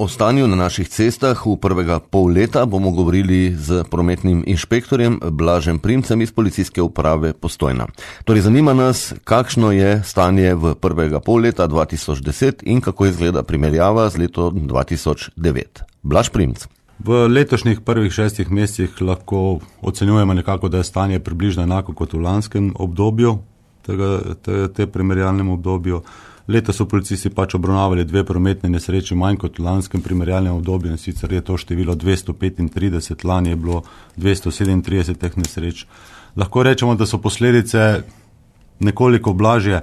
O stanju na naših cestah v prvega pol leta bomo govorili z prometnim inšpektorjem Blažem Primcem iz Policijske uprave Postojna. Torej zanima nas, kakšno je stanje v prvega pol leta 2010 in kako izgleda primerjava z letom 2009. Blaž Primc. V letošnjih prvih 6 mesecih lahko ocenjujemo nekako, da je stanje približno enako kot v lanskem obdobju, te primerjalnem obdobju. Letos so policisti obravnavali 2 prometne nesreče manj kot v lanskem primerjalnem obdobju, in sicer je to število 235, lani je bilo 237 teh nesreč. Lahko rečemo, da so posledice nekoliko blažje,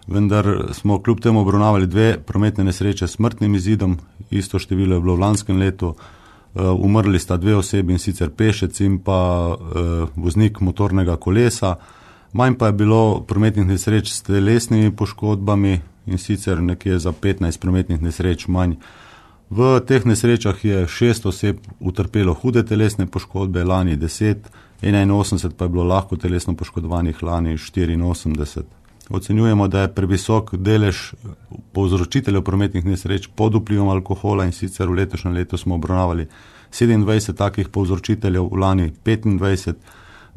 vendar smo kljub temu obravnavali 2 prometne nesreče s smrtnim izidom, isto število je bilo v lanskem letu. Umrli sta 2 osebi, in sicer pešec in pa voznik motornega kolesa. Manj pa je bilo prometnih nesreč s telesnimi poškodbami, in sicer nekje za 15 prometnih nesreč manj. V teh nesrečah je 6 oseb utrpelo hude telesne poškodbe, lani 10, 81 pa je bilo lahko telesno poškodovanih, lani 84. Ocenjujemo, da je previsok delež povzročiteljev prometnih nesreč pod vplivom alkohola, in sicer v letošnjem letu smo obravnavali 27 takih povzročiteljev, lani 25.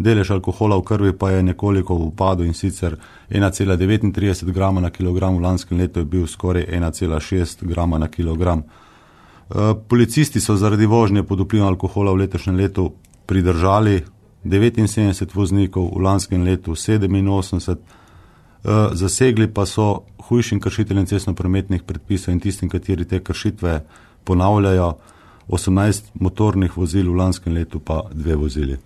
Delež alkohola v krvi pa je nekoliko v upadu, in sicer 1,39 grama na kilogram, v lanskem letu je bil skoraj 1,6 grama na kilogram. Policisti so zaradi vožnje pod vplivom alkohola v letošnjem letu pridržali 79 voznikov, v lanskem letu 87. Zasegli pa so hujšim kršiteljem cestnoprometnih predpisov in tistim, kateri te kršitve ponavljajo, 18 motornih vozil, v lanskem letu pa 2 vozili.